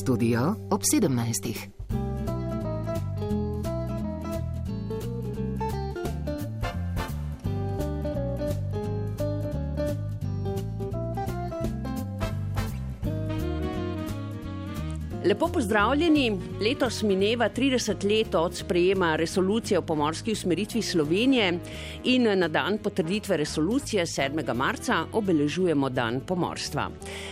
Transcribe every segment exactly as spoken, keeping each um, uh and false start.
Studio ob sedemnajstih. Lepo pozdravljeni. Letos mineva trideset let od sprejema resolucije o pomorski usmeritvi Slovenije in na dan potrditve resolucije sedmega marca obeležujemo dan pomorstva.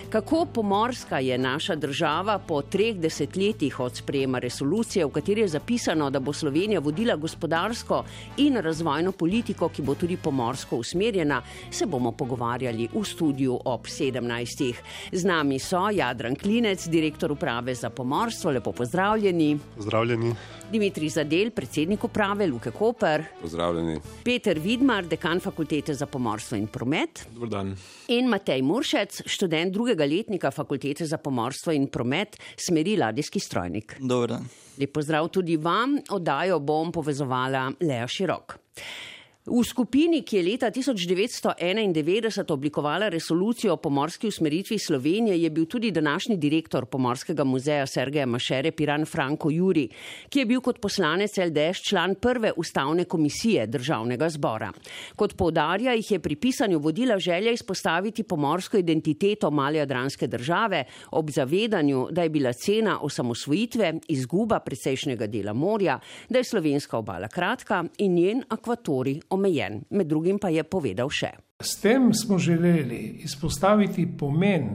Kako pomorska je naša država po treh desetletjih od sprejema resolucije, v kateri je zapisano, da bo Slovenija vodila gospodarsko in razvojno politiko, ki bo tudi pomorsko usmerjena, se bomo pogovarjali v studiu ob sedemnajstih. Z nami so Jadran Klinec, direktor uprave za pomorstvo, lepo pozdravljeni. Pozdravljeni. Dimitrij Zadel, predsednik uprave Luke Koper. Pozdravljeni. Peter Vidmar, dekan Fakultete za pomorstvo in promet. Dober dan. In Matej Muršec, študent drugega letnika Fakultete za pomorstvo in promet, smeri ladijski strojnik. Dober dan. Lep pozdrav tudi vam, oddajo bom povezovala Lea Širok. V skupini, ki je leta tisoč devetsto enaindevetdeset oblikovala resolucijo o pomorski usmeritvi Slovenije, je bil tudi današnji direktor Pomorskega muzeja Sergeja Mašere Piran Franko Juri, ki je bil kot poslanec el de es član prve ustavne komisije Državnega zbora. Kot poudarja, jih je pri pisanju vodila želja izpostaviti pomorsko identiteto male jadranske države ob zavedanju, da je bila cena osamosvojitve izguba precejšnjega dela morja, da je slovenska obala kratka in njen akvatorij omejen. Med drugim pa je povedal še. S tem smo želeli izpostaviti pomen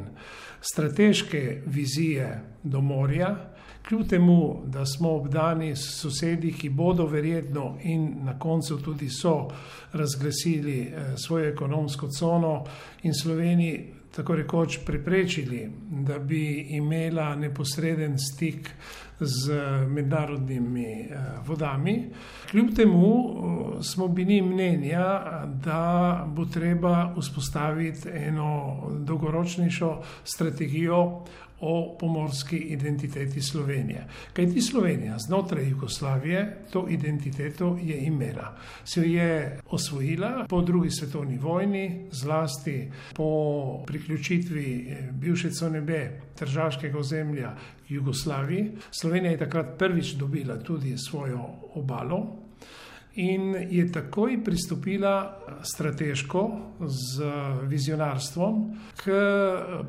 strateške vizije do morja, kljub temu, da smo obdani s sosedi, ki bodo verjetno in na koncu tudi so razglasili svojo ekonomsko cono in Sloveniji tako rekoč preprečili, da bi imela neposreden stik z mednarodnimi vodami. Kljub temu smo bili mnenja, da bo treba vzpostaviti eno dolgoročnejšo strategijo o pomorski identiteti Slovenije. Kajti Slovenija znotraj Jugoslavije to identiteto je imela. Se jo je osvojila po drugi svetovni vojni, zlasti po priključitvi bivše cone B tržaškega ozemlja Jugoslaviji. Slovenija je takrat prvič dobila tudi svojo obalo in je takoj pristopila strateško z vizionarstvom k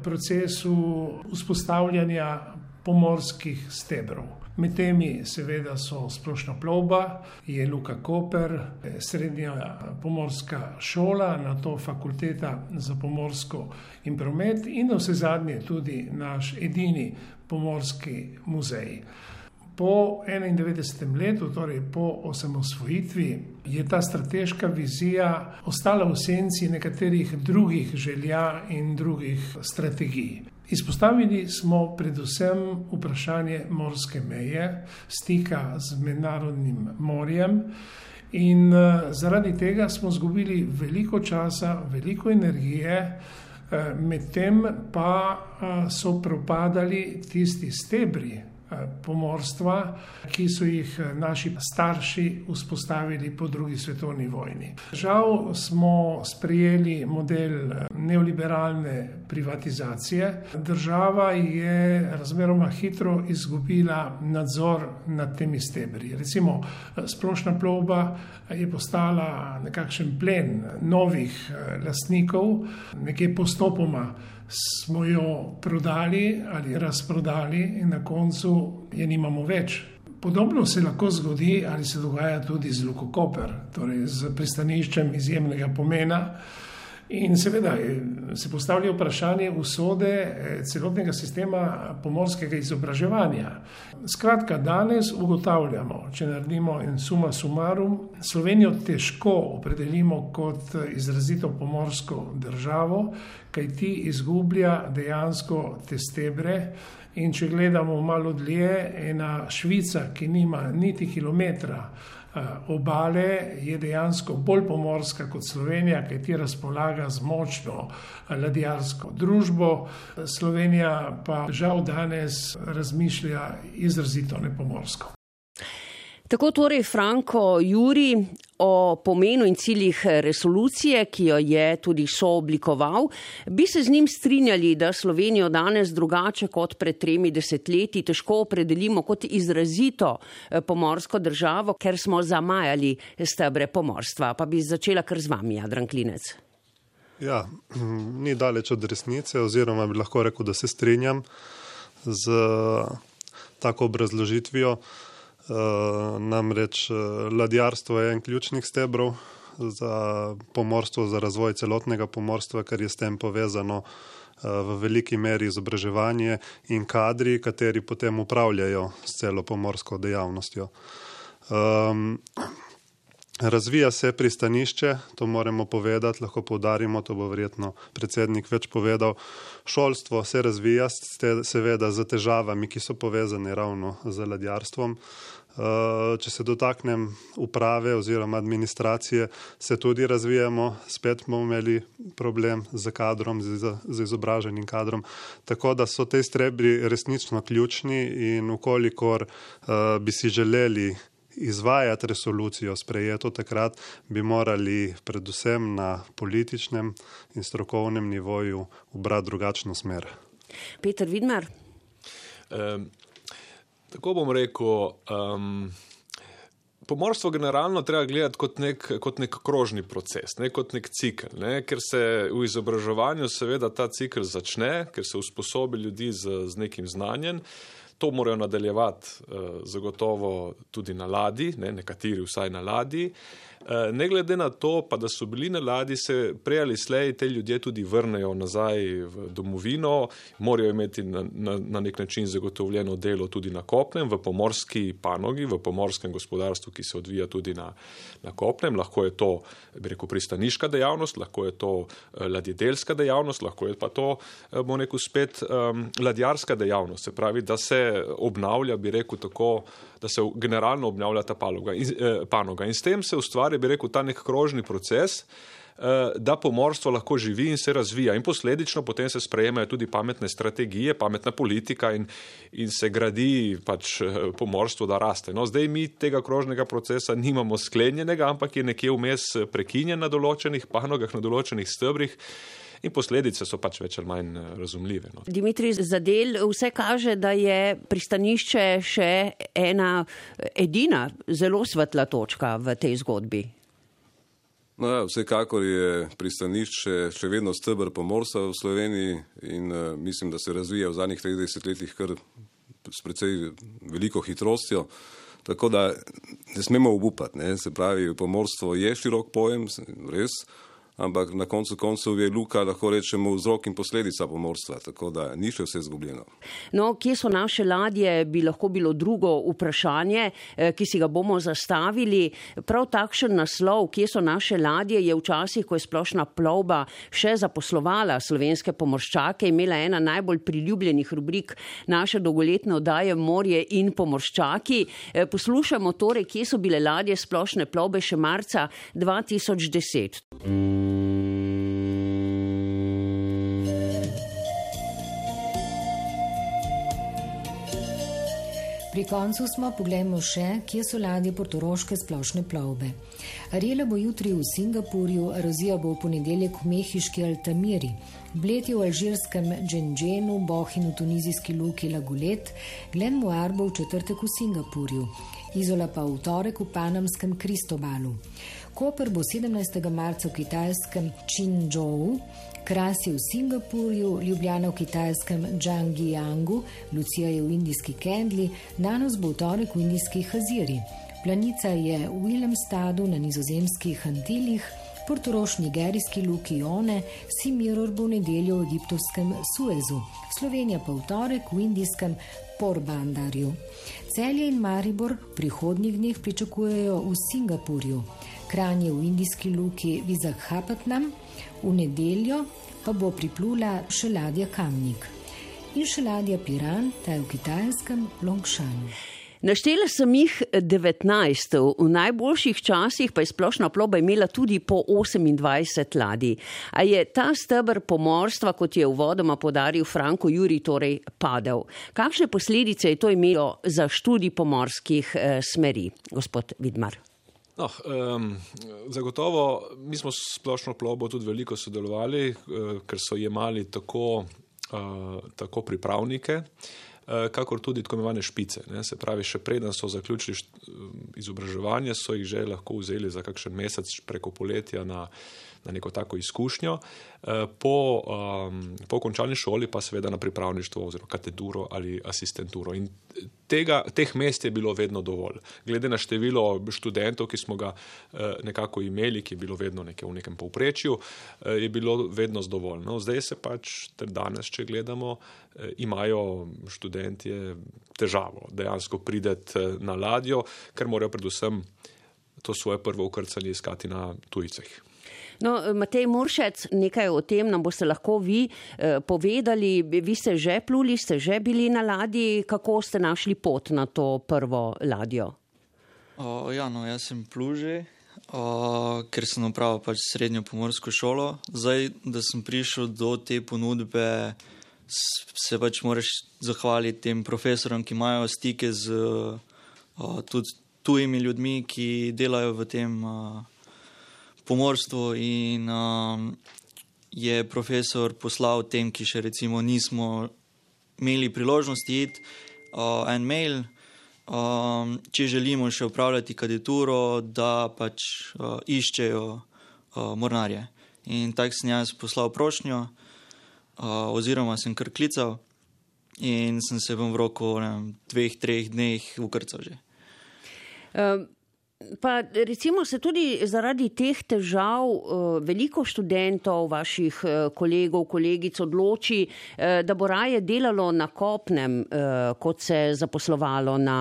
procesu vzpostavljanja pomorskih stebrov. Med temi seveda so splošna plovba, je Luka Koper, srednja pomorska šola, nato Fakulteta za pomorsko in promet in navsezadnje tudi naš edini pomorski muzej. Po enaindevetdesetem letu, torej po osamosvojitvi, je ta strateška vizija ostala v senci nekaterih drugih želja in drugih strategij. Izpostavili smo predvsem vprašanje morske meje, stika z mednarodnim morjem in zaradi tega smo izgubili veliko časa, veliko energije, medtem pa so propadali tisti stebri pomorstva, ki so jih naši starši vzpostavili po drugi svetovni vojni. Žal smo sprejeli model neoliberalne privatizacije. Država je razmeroma hitro izgubila nadzor nad temi stebri. Recimo, splošna plovba je postala nekakšen plen novih lastnikov, nekje postopoma smo jo prodali ali razprodali in na koncu je nimamo več. Podobno se lahko zgodi ali se dogaja tudi z Luko Koper, torej z pristaniščem izjemnega pomena. In seveda se postavlja vprašanje usode celotnega sistema pomorskega izobraževanja. Skratka, danes ugotavljamo, če naredimo en summa summarum, Slovenijo težko opredelimo kot izrazito pomorsko državo, kajti izgublja dejansko te stebre. In če gledamo malo dlje, ena Švica, ki nima niti kilometra obale, je dejansko bolj pomorska kot Slovenija, kajti razpolaga z močno ladjarsko družbo. Slovenija pa žal danes razmišlja izrazito nepomorsko. Tako torej Franko Juri o pomenu in ciljih resolucije, ki jo je tudi sooblikoval. Bi se z njim strinjali, da Slovenijo danes drugače kot pred tremi desetletji težko opredelimo kot izrazito pomorsko državo, ker smo zamajali stebre pomorstva? Pa bi začela kar z vami, Jadran Klinec. Ja, ni daleč od resnice, oziroma bi lahko rekel, da se strinjam z tako obrazložitvijo. Uh, namreč uh, ladjarstvo je en ključnih stebrov za pomorstvo, za razvoj celotnega pomorstva, ker je s tem povezano uh, v veliki meri izobraževanje in kadri, kateri potem upravljajo s celo pomorsko dejavnostjo. Um, Razvija se pristanišče, to moramo povedati, lahko poudarimo, to bo verjetno predsednik več povedal. Šolstvo se razvija, seveda z težavami, ki so povezane ravno z ladjarstvom. Če se dotaknem uprave oziroma administracije, se tudi razvijamo, spet bomo imeli problem z kadrom, z izobraženim kadrom. Tako da so te stebri resnično ključni in ukolikor bi si želeli izvajati resolucijo sprejeto takrat, bi morali predvsem na političnem in strokovnem nivoju ubrati drugačno smer. Peter Vidmar? Um, tako bom rekel, um, pomorstvo generalno treba gledati kot nek, kot nek krožni proces, ne kot nek cikl, ne, ker se v izobraževanju seveda ta cikl začne, ker se usposobi ljudi z, z nekim znanjem. To morajo nadaljevati eh, zagotovo tudi na ladji, ne, nekateri vsaj na ladji. Eh, ne glede na to, pa da so bili na ladji, se prej ali slej te ljudje tudi vrnejo nazaj v domovino, morajo imeti na, na, na nek način zagotovljeno delo tudi na kopnem, v pomorski panogi, v pomorskem gospodarstvu, ki se odvija tudi na, na kopnem. Lahko je to, bi rekel, pristaniška dejavnost, lahko je to eh, ladjedelska dejavnost, lahko je pa to, eh, bom rekel, spet eh, ladjarska dejavnost. Se pravi, da se obnavlja, bi rekel tako, da se generalno obnavlja ta panoga in, eh, panoga. In s tem se ustvari, bi rekel, ta nek krožni proces, eh, da pomorstvo lahko živi in se razvija. In posledično potem se sprejemajo tudi pametne strategije, pametna politika in, in se gradi pač pomorstvo, da raste. No, zdaj mi tega krožnega procesa nimamo sklenjenega, ampak je nekje vmes prekinjen na določenih panogah, na določenih stebrih. In posledice so pač več ali manj razumljive. No. Dimitrij Zadel, vse kaže, da je pristanišče še ena edina zelo svetla točka v tej zgodbi. No ja, vsekakor je pristanišče še vedno steber pomorstva v Sloveniji in uh, mislim, da se razvija v zadnjih tridesetih letih kar s precej veliko hitrostjo. Tako da ne smemo obupati. Ne? Se pravi, pomorstvo je širok pojem, res, ampak na koncu koncev je luka, lahko rečemo, vzrok in posledica pomorstva, tako da ni še vse izgubljeno. No, kje so naše ladje, bi lahko bilo drugo vprašanje, ki si ga bomo zastavili. Prav takšen naslov, kje so naše ladje, je včasih, ko je splošna plovba še zaposlovala slovenske pomorščake, imela ena najbolj priljubljenih rubrik naše dolgoletne oddaje Morje in pomorščaki. Poslušamo torej, kje so bile ladje splošne plovbe še marca dva tisoč deset. Pri koncu smo, poglejmo še, kje so ladje portoroške splošne plovbe. Ariela bo jutri v Singapurju, Rozija bo v ponedeljek v mehiški Altamiri, Bled je v alžirskem Džendženu, Bohin v tunizijski luki Lagulet, Glen Muar bo v četrtek v Singapurju, Izola pa v torek v panamskem Kristobalu. Koper bo sedemnajstega marca v kitajskem Činžou, Kras je v Singapurju, Ljubljana v kitajskem Džangjijangu, Lucija je v indijski Kendli, Nanos bo v torek v indijski Haziri, Planica je v Willemstadu na nizozemskih Antilih, Portorož v nigerijski luki One, Simiror bo v nedeljo v egiptovskem Suezu, Slovenija pa v torek v indijskem Porbandarju. Celje in Maribor v prihodnjih dneh pričakujejo v Singapurju, Kranj je v indijski luki Visakhapatnam, v nedeljo pa bo priplula še ladja Kamnik in še ladja Piran, ta je v kitajskem Longšanu. Naštela sem jih devetnajst, v najboljših časih pa je splošna plovba imela tudi po osemindvajset ladij. A je ta steber pomorstva, kot je uvodoma podaril Franko Jurij, torej padel? Kakšne posledice je to imelo za študij pomorskih eh, smeri, gospod Vidmar? No, um, zagotovo mi smo s splošno plovbo tudi veliko sodelovali, uh, ker so jemali tako, uh, tako pripravnike, kakor tudi tako imenovane špice. Ne. Se pravi, še preden so zaključili izobraževanje, so jih že lahko vzeli za kakšen mesec preko poletja na, na neko tako izkušnjo. Po, um, po končani šoli pa seveda na pripravništvo oziroma kateduro ali asistenturo. In tega, teh mest je bilo vedno dovolj. Glede na število študentov, ki smo ga nekako imeli, ki je bilo vedno nekaj v nekem povprečju, je bilo vedno dovolj. No, zdaj se pač, ter danes, če gledamo, imajo študentje težavo dejansko prideti na ladjo, ker morajo predvsem to svoje prvo ukrcanje iskati na tujcih. No, Matej Muršec, nekaj o tem nam boste lahko vi eh, povedali. Vi ste že pluli, ste že bili na ladji. Kako ste našli pot na to prvo ladjo? O, ja, no, jaz sem plul že, o, ker sem opravil pač srednjo pomorsko šolo. Zdaj, da sem prišel do te ponudbe, se pač moraš zahvaliti tem profesorom, ki imajo stike z o, tudi tujimi ljudmi, ki delajo v tem o, pomorstvu, in um, je profesor poslal tem, ki še recimo nismo imeli priložnosti iti, uh, en mail, um, če želimo še upravljati kandidaturo, da pač uh, iščejo uh, mornarje. In tako sem jaz poslal prošnjo, uh, oziroma sem kar klical in sem se v roku ne vem, dveh, treh dneh ukrcal že. Um. Pa recimo se tudi zaradi teh težav veliko študentov, vaših kolegov, kolegic odloči, da bo raje delalo na kopnem, kot se zaposlovalo na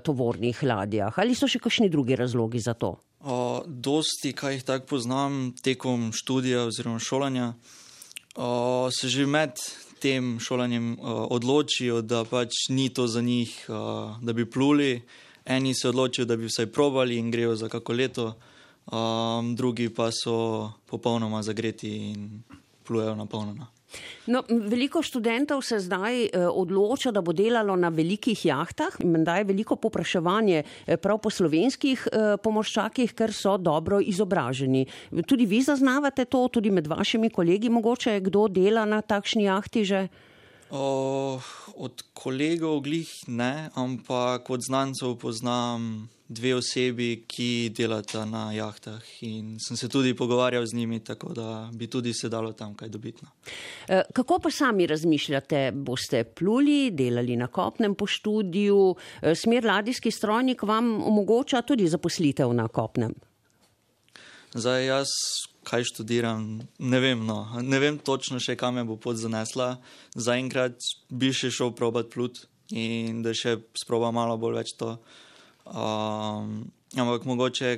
tovornih ladjah. Ali so še kakšni drugi razlogi za to? O, dosti, kaj jih tako poznam tekom študija oziroma šolanja, o, se že med tem šolanjem o, odločijo, da pač ni to za njih, o, da bi pluli. Eni se odločijo, da bi vsaj probali in grejo za kako leto, um, drugi pa so popolnoma zagreti in plujejo napolnjeno. No, veliko študentov se zdaj eh, odloča, da bo delalo na velikih jahtah. Menda je veliko povpraševanje eh, prav po slovenskih eh, pomorščakih, ker so dobro izobraženi. Tudi vi zaznavate to, tudi med vašimi kolegi mogoče, kdo dela na takšni jahti že? O, od kolegov glih ne, ampak od znancev poznam dve osebi, ki delata na jahtah, in sem se tudi pogovarjal z njimi, tako da bi tudi se dalo tam kaj dobiti. Kako pa sami razmišljate? Boste pluli, delali na kopnem po študiju? Smer ladijski strojnik vam omogoča tudi zaposlitev na kopnem? Zdaj jaz kaj študiram, ne vem, no. Ne vem točno še, kam me bo pot zanesla. Zaenkrat bi še šel probat plut in da še sproba malo bolj več to. Um, ampak mogoče,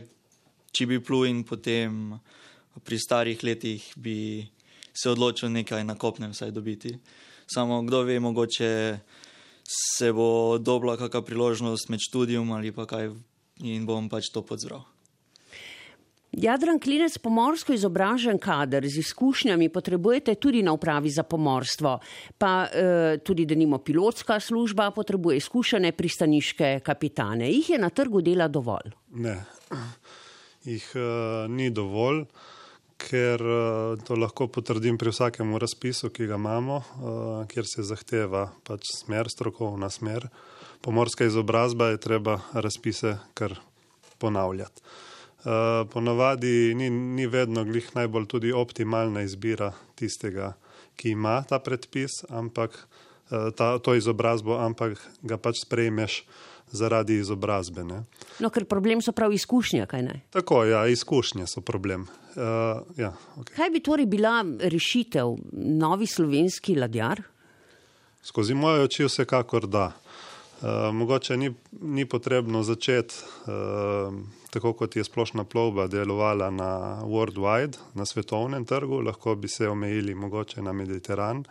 če bi plul in potem pri starih letih bi se odločil nekaj na kopnem vsaj dobiti. Samo kdo ve, mogoče se bo dobila kakšna priložnost med študijum ali pa kaj in bom pač to podzbral. Jadran Klinec, pomorsko izobražen kader z izkušnjami potrebujete tudi na upravi za pomorstvo, pa eh, tudi denimo pilotska služba potrebuje izkušene pristaniške kapitane. Jih je na trgu dela dovolj? Ne, jih uh, ni dovolj, ker uh, to lahko potrdim pri vsakemu razpisu, ki ga imamo, uh, kjer se zahteva pač smer, strokovna smer. Pomorska izobrazba je treba razpise kar ponavljati. Uh, ponavadi ni, ni vedno glih najbolj tudi optimalna izbira tistega, ki ima ta predpis, ampak uh, ta, to izobrazbo, ampak ga pač sprejmeš zaradi izobrazbe. Ne? No, ker problem so prav izkušnje, kaj ne? Tako, ja, izkušnje so problem. Uh, ja, okay. Kaj bi torej bila rešitev? Novi slovenski ladjar? Skozi moje oči vsekakor da. Uh, mogoče ni, ni potrebno začeti uh, tako, kot je splošna plovba delovala na worldwide, na svetovnem trgu, lahko bi se omejili mogoče na Mediteran.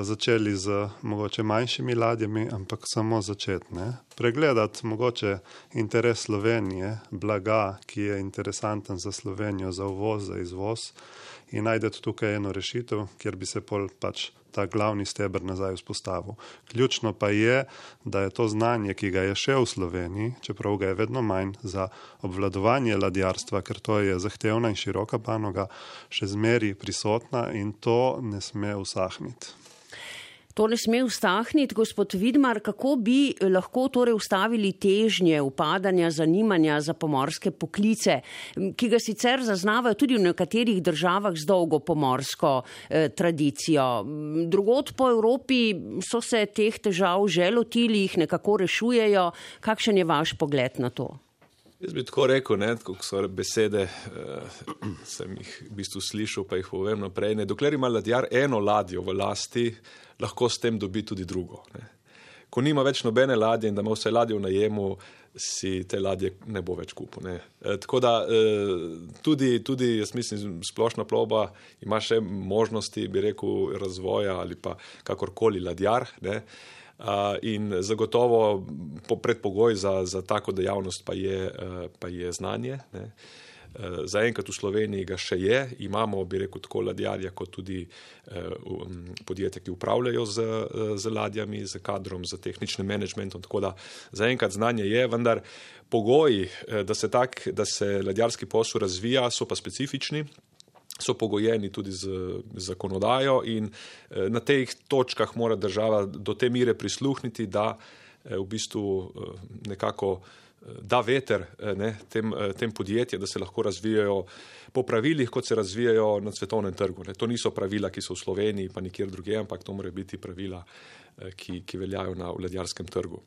začeli z mogoče manjšimi ladjami, ampak samo začeti. Ne? Pregledati mogoče interes Slovenije, blaga, ki je interesanten za Slovenijo, za uvoz, za izvoz in najdete tukaj eno rešitev, kjer bi se pol pač ta glavni steber nazaj vzpostavil. Ključno pa je, da je to znanje, ki ga je še v Sloveniji, čeprav ga je vedno manj za obvladovanje ladjarstva, ker to je zahtevna in široka panoga, še zmeri prisotna in to ne sme usahniti. To ne sme ustahniti, gospod Vidmar, kako bi lahko torej ustavili težnje upadanja zanimanja za pomorske poklice, ki ga sicer zaznavajo tudi v nekaterih državah z dolgo pomorsko eh, tradicijo. Drugod po Evropi so se teh težav že lotili, jih nekako rešujejo. Kakšen je vaš pogled na to? Jaz bi tako rekel, ne, kako so besede, eh, sem jih v bistvu slišal, pa jih povem naprej. Ne. Dokler ima ladjar eno ladjo v lasti, lahko s tem dobi tudi drugo. Ne. Ko nima več nobene ladje in da ima vse ladje v najemu, si te ladje ne bo več kupil. Ne. E, tako da e, tudi, tudi, jaz mislim, splošna plovba ima še možnosti, bi rekel, razvoja ali pa kakorkoli ladjar, ne. Uh, in zagotovo po predpogoj za, za tako dejavnost pa je, uh, pa je znanje. Ne. Uh, zaenkrat v Sloveniji ga še je, imamo, bi rekel, tako ladjarja kot tudi uh, um, podjetja, ki upravljajo z, uh, z ladjami, z kadrom, z tehničnim menedžmentom, tako da zaenkrat znanje je, vendar pogoji, uh, da se tak, da se ladjarski posel razvija, so pa specifični. So pogojeni tudi z zakonodajo in na teh točkah mora država do te mire prisluhniti, da v bistvu nekako da veter ne, tem, tem podjetjem, da se lahko razvijajo po pravilih, kot se razvijajo na svetovnem trgu. Ne. To niso pravila, ki so v Sloveniji pa nikjer drugje, ampak to morajo biti pravila, ki, ki veljajo na ladjarskem trgu.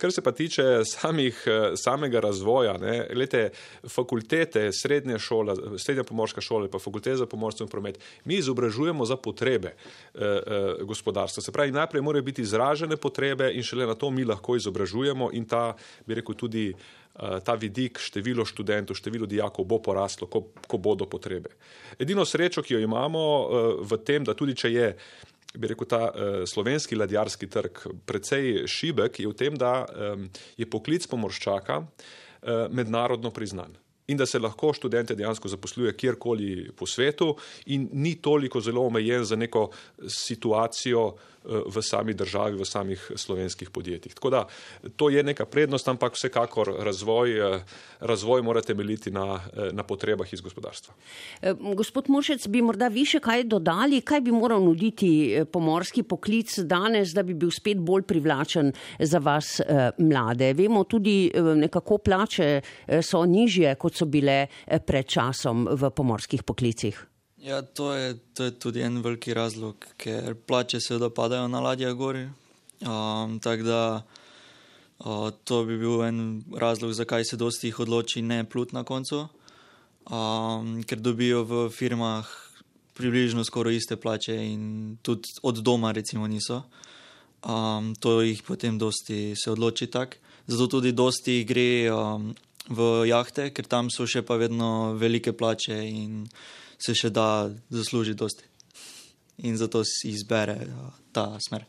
Kar se pa tiče samih, samega razvoja, ne, glede, fakultete, srednja šola, srednja pomorska šola, pa fakulteta za pomorstvo in promet, mi izobražujemo za potrebe eh, eh, gospodarstva. Se pravi, najprej morajo biti izražene potrebe in šele na to mi lahko izobražujemo in ta, bi rekel, tudi ta vidik, število študentov, število dijakov bo poraslo, ko, ko bodo potrebe. Edino srečo, ki jo imamo v tem, da tudi če je, bi rekel, ta slovenski ladjarski trg precej šibek, je v tem, da je poklic pomorščaka mednarodno priznan in da se lahko študente dejansko zaposluje kjerkoli po svetu in ni toliko zelo omejen za neko situacijo v sami državi, v samih slovenskih podjetjih. Tako da to je neka prednost, ampak vsekakor razvoj, razvoj mora temeljiti na, na potrebah iz gospodarstva. Gospod Muršec, bi morda vi še kaj dodali? Kaj bi moral nuditi pomorski poklic danes, da bi bil spet bolj privlačen za vas mlade? Vemo tudi, nekako plače so nižje, kot so bile pred časom v pomorskih poklicih. Ja, to je, to je tudi en veliki razlog, ker plače seveda padajo na ladjah gori. Um, tako da uh, to bi bil en razlog, zakaj se dosti jih odloči ne plut na koncu, um, ker dobijo v firmah približno skoraj iste plače in tudi od doma recimo niso. Um, to jih potem dosti se odloči tak. Zato tudi dosti gre um, v jahte, ker tam so še pa vedno velike plače in se še da zasluži dosti. In zato si izbere ta smer.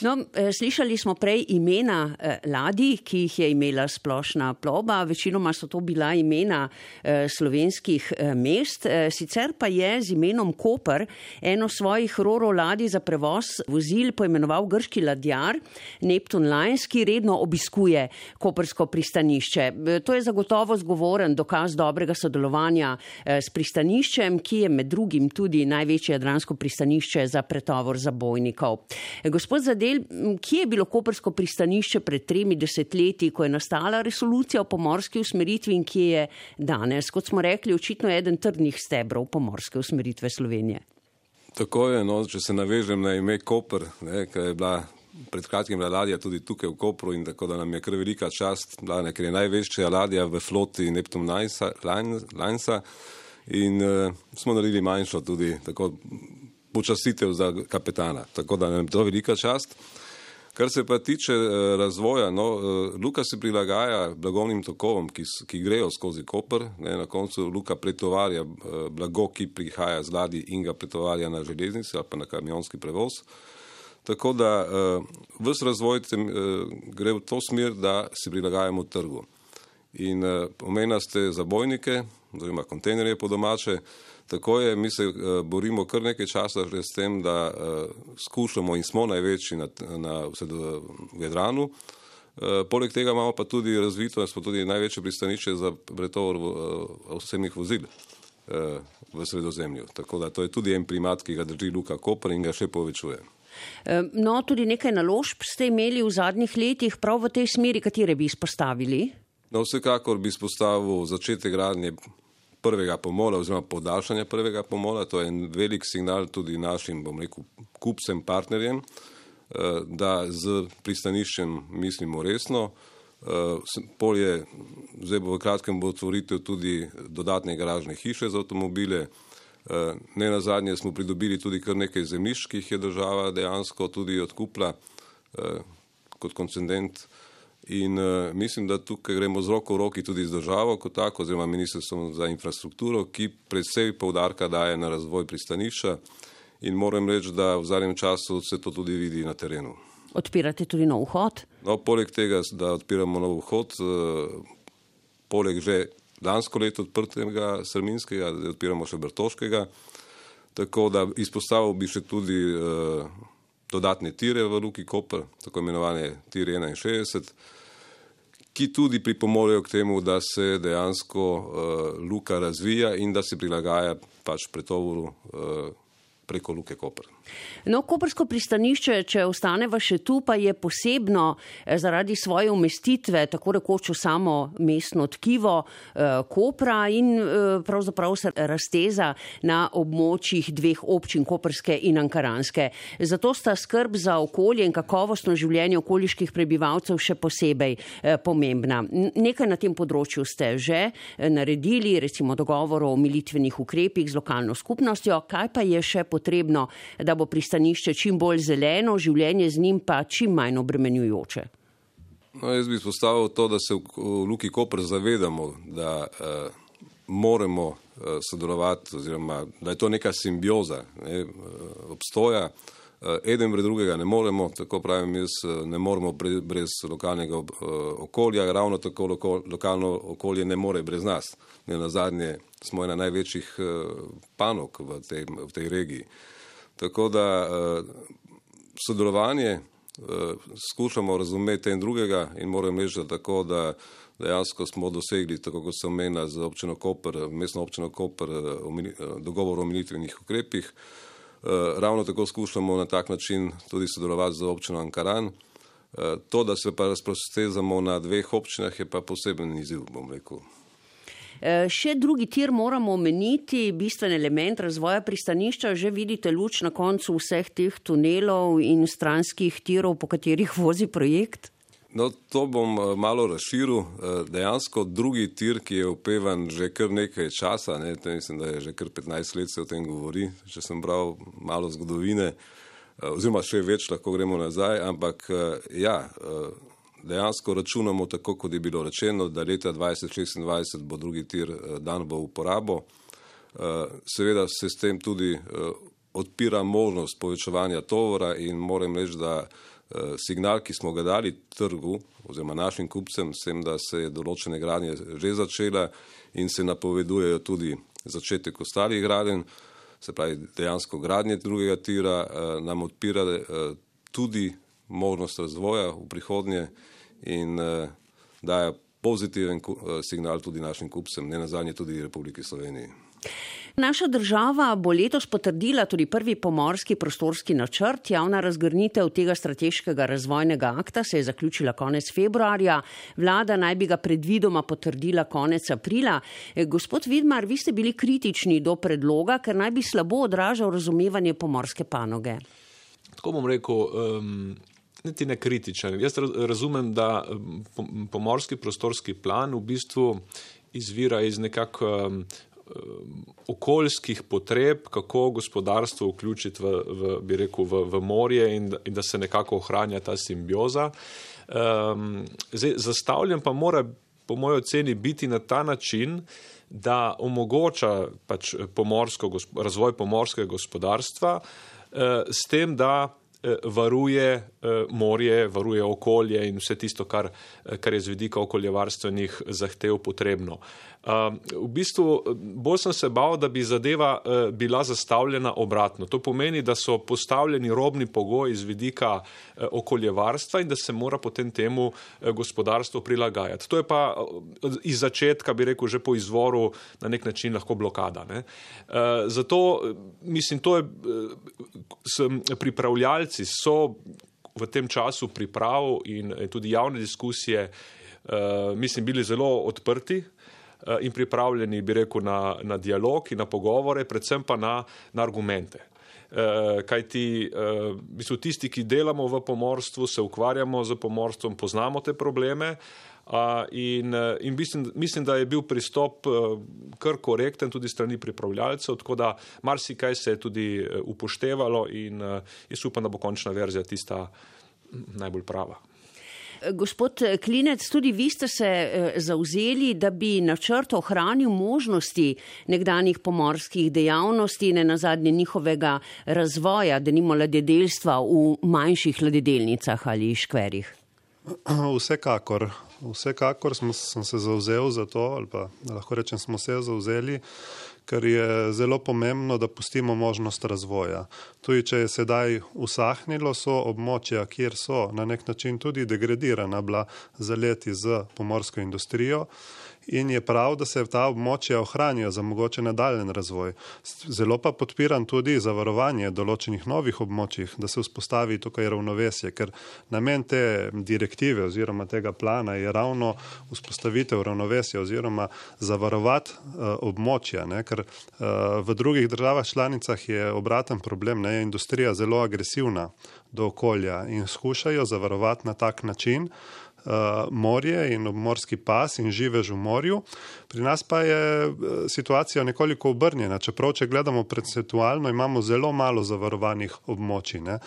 No, slišali smo prej imena ladij, ki jih je imela splošna plovba. Večinoma so to bila imena slovenskih mest. Sicer pa je z imenom Koper eno svojih roro ladij za prevoz vozil poimenoval grški ladjar Neptun Lines, ki redno obiskuje koprsko pristanišče. To je zagotovo zgovoren dokaz dobrega sodelovanja s pristaniščem, ki je med drugim tudi največje jadransko pristanišče za pretovor zabojnikov. Gospod Zadel, kje je bilo koprsko pristanišče pred tremi desetletji, ko je nastala resolucija o pomorski usmeritvi in kje je danes? Kot smo rekli, očitno je eden trdnih stebrov pomorske usmeritve Slovenije. Tako je, no, če se navežem na ime Koper, ne, ker je bila pred kratkim ladja tudi tukaj v Kopru in tako da nam je kar velika čast, bila, ne, ker je največja ladja v floti Neptun Linesa in uh, smo naredili manjšo tudi tako počastitev za kapetana, tako da nam je to velika čast. Kar se pa tiče uh, razvoja, no, uh, luka se prilagaja blagovnim tokovom, ki, ki grejo skozi Koper. Ne, na koncu luka pretovarja uh, blago, ki prihaja z ladij in ga pretovarja na železnici ali pa na kamionski prevoz. Tako da uh, ves razvoj tem, uh, gre v to smer, da se prilagajamo trgu. In uh, omenili ste zabojnike, oziroma kontejnerje po domače. Tako je, mi se uh, borimo kar nekaj časa že s tem, da uh, skušamo in smo največji na, na, v Jadranu. Uh, poleg tega imamo pa tudi razvito, smo tudi največje pristanišče za pretovor uh, osebnih vozil uh, v Sredozemlju. Tako da to je tudi en primat, ki ga drži Luka Koper in ga še povečuje. No, tudi nekaj naložb ste imeli v zadnjih letih prav v tej smeri, katere bi izpostavili? No, vsekakor bi izpostavil začetek gradnje prvega pomola oziroma podaljšanja prvega pomola. To je en velik signal tudi našim, bom rekel, kupcem, partnerjem, da z pristaniščem mislimo resno. Polje, zdaj bo v kratkem bo otvoritev tudi dodatne garažne hiše za avtomobile. Ne nazadnje smo pridobili tudi kar nekaj zemljišč, ki jih je država dejansko tudi odkupila kot koncedent. In uh, mislim, da tukaj gremo z roko v roki tudi z državo kot tako, oziroma ministrstvom za infrastrukturo, ki predvsej poudarka daje na razvoj pristanišča in moram reči, da v zadnjem času se to tudi vidi na terenu. Odpirate tudi nov vhod? No, poleg tega, da odpiramo nov vhod, uh, poleg že lansko leto odprtega Strminskega, da odpiramo še Bertoškega, tako da izpostavil bi še tudi uh, dodatne tire v Luki Koper, tako imenovane tire enainšestdeset, ki tudi pripomorejo k temu, da se dejansko uh, luka razvija in da se prilagaja pač pretovoru uh, preko Luke Koper. No, koprsko pristanišče, če ostaneva še tu, pa je posebno zaradi svoje umestitve, tako rekoč v samo mestno tkivo eh, Kopra in eh, pravzaprav se razteza na območjih dveh občin, koprske in ankaranske. Zato sta skrb za okolje in kakovostno življenje okoliških prebivalcev še posebej eh, pomembna. Nekaj na tem področju ste že naredili, recimo dogovor o omilitvenih ukrepih z lokalno skupnostjo. Kaj pa je še potrebno, da bo pristanišče čim bolj zeleno, življenje z njim pa čim manj obremenjujoče? No, jaz bi izpostavil to, da se v, v Luki Koper zavedamo, da uh, moramo uh, sodelovati, oziroma da je to neka simbioza, ne, uh, obstoja. Uh, eden brez drugega ne moremo, tako pravim jaz, ne moremo bre, brez lokalnega uh, okolja, ravno tako loko, lokalno okolje ne more brez nas. Ne, nazadnje smo ena največjih uh, panog v tej, v tej regiji. Tako da uh, sodelovanje uh, skušamo razumeti en drugega in moram reči, da tako, da dejansko smo dosegli, tako kot se omenja z občino Koper, mestno občino Koper, uh, dogovor o omilitvenih ukrepih. Uh, ravno tako skušamo na tak način tudi sodelovati z občino Ankaran. Uh, to, da se pa razprostezamo na dveh občinah, je pa poseben izziv, bom rekel. Še drugi tir moramo omeniti, bistven element razvoja pristanišča, že vidite luč na koncu vseh teh tunelov in stranskih tirov, po katerih vozi projekt? No, to bom malo razširil. Dejansko drugi tir, ki je opevan že kar nekaj časa, ne, mislim, da je že kar petnajst let se o tem govori, če sem bral malo zgodovine, oziroma še več lahko gremo nazaj, ampak ja, dejansko računamo tako, kot je bilo rečeno, da leta dvajset šestindvajset bo drugi tir dan v uporabo. Seveda se s tem tudi odpira možnost povečevanja tovora in moram reči, da signal, ki smo ga dali trgu oziroma našim kupcem, s tem, da se je določene gradnje že začela in se napovedujejo tudi začetek ostalih gradenj, se pravi dejansko gradnje drugega tira, nam odpira tudi možnost razvoja v prihodnje in uh, daje pozitiven uh, signal tudi našim kupcem, ne nazadnje tudi Republiki Sloveniji. Naša država bo letos potrdila tudi prvi pomorski prostorski načrt. Javna razgrnitev tega strateškega razvojnega akta se je zaključila konec februarja. Vlada naj bi ga predvidoma potrdila konec aprila. Gospod Vidmar, vi ste bili kritični do predloga, ker naj bi slabo odražal razumevanje pomorske panoge. Tako bom rekel, um, niti ne kritičen. Jaz razumem, da pomorski prostorski plan v bistvu izvira iz nekako um, okoljskih potreb, kako gospodarstvo vključiti v, v, bi rekel, v, v morje in, in da se nekako ohranja ta simbioza. Um, zdaj, zastavljen pa mora po moji oceni biti na ta način, da omogoča pač pomorsko, razvoj pomorskega gospodarstva eh, s tem, da eh, varuje eh, morje, varuje okolje in vse tisto, kar, kar je z vidika okoljevarstvenih zahtev potrebno. Uh, v bistvu bolj sem se bal, da bi zadeva uh, bila zastavljena obratno. To pomeni, da so postavljeni robni pogoji z vidika uh, okoljevarstva in da se mora potem temu uh, gospodarstvo prilagajati. To je pa uh, iz začetka, bi rekel, že po izvoru na nek način lahko blokada. Ne? Uh, zato, mislim, to je, uh, pripravljalci so v tem času priprav in tudi javne diskusije, uh, mislim, bili zelo odprti in pripravljeni, bi rekel, na, na dialog in na pogovore, predvsem pa na, na argumente. E, kaj ti, e, mislim, tisti, ki delamo v pomorstvu, se ukvarjamo z pomorstvom, poznamo te probleme a, in, in mislim, mislim, da je bil pristop kar korekten tudi strani pripravljalcev, tako da marsikaj se je tudi upoštevalo in jaz upam, da bo končna verzija tista najbolj prava. Gospod Klinec, tudi vi ste se zavzeli, da bi načrt ohranil možnosti nekdanjih pomorskih dejavnosti in nazadnje njihovega razvoja, denimo ladjedelstva v manjših ladjedelnicah ali škverih. Vsekakor. Vsekakor smo, sem se zavzel za to, ali pa lahko rečem, smo se zavzeli, ker je zelo pomembno, da pustimo možnost razvoja. Tudi, če je sedaj usahnilo, so območja, kjer so na nek način tudi degradirana bila za leti z pomorsko industrijo in je prav, da se ta območja ohranijo za mogoče nadaljen razvoj. Zelo pa podpiram tudi zavarovanje določenih novih območjih, da se vzpostavi tukaj ravnovesje, ker namen te direktive oziroma tega plana je ravno vzpostavitev ravnovesja oziroma zavarovati uh, območja, ne? Ker uh, v drugih državah članicah je obraten problem, ne? Je industrija zelo agresivna do okolja in skušajo zavarovati na tak način Uh, morje in obmorski pas in živež v morju. Pri nas pa je uh, situacija nekoliko obrnjena, čeprav, če gledamo procentualno, imamo zelo malo zavarovanih območij. Ne?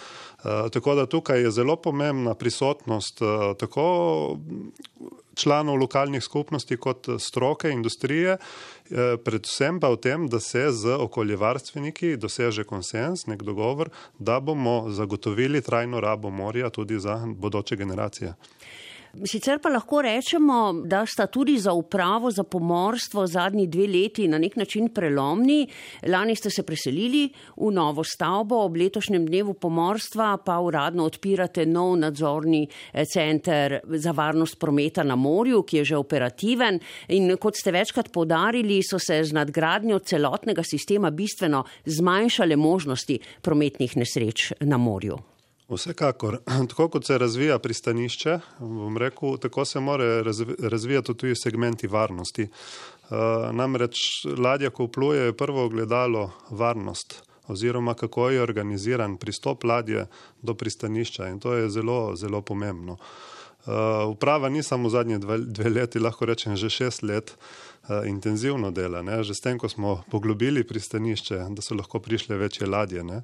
Uh, tako da tukaj je zelo pomembna prisotnost uh, tako članov lokalnih skupnosti kot stroke, industrije, uh, predvsem pa v tem, da se z okoljevarstveniki doseže konsens, nek dogovor, da bomo zagotovili trajno rabo morja tudi za bodoče generacije. Sicer pa lahko rečemo, da sta tudi za upravo za pomorstvo zadnji dve leti na nek način prelomni. Lani ste se preselili v novo stavbo, ob letošnjem dnevu pomorstva pa uradno odpirate nov nadzorni center za varnost prometa na morju, ki je že operativen in kot ste večkrat poudarili, so se z nadgradnjo celotnega sistema bistveno zmanjšale možnosti prometnih nesreč na morju. Vsekakor. Tako kot se razvija pristanišče, bom rekel, tako se mora razvijati tudi segmenti varnosti. Namreč ladja, ko vpluje, je prvo ogledalo varnost oziroma kako je organiziran pristop ladje do pristanišča in to je zelo, zelo pomembno. Uprava ni samo zadnje dve, dve leti, lahko rečem že šest let, intenzivno dela. Ne? Že s tem, ko smo poglobili pristanišče, da so lahko prišle večje ladje, ne?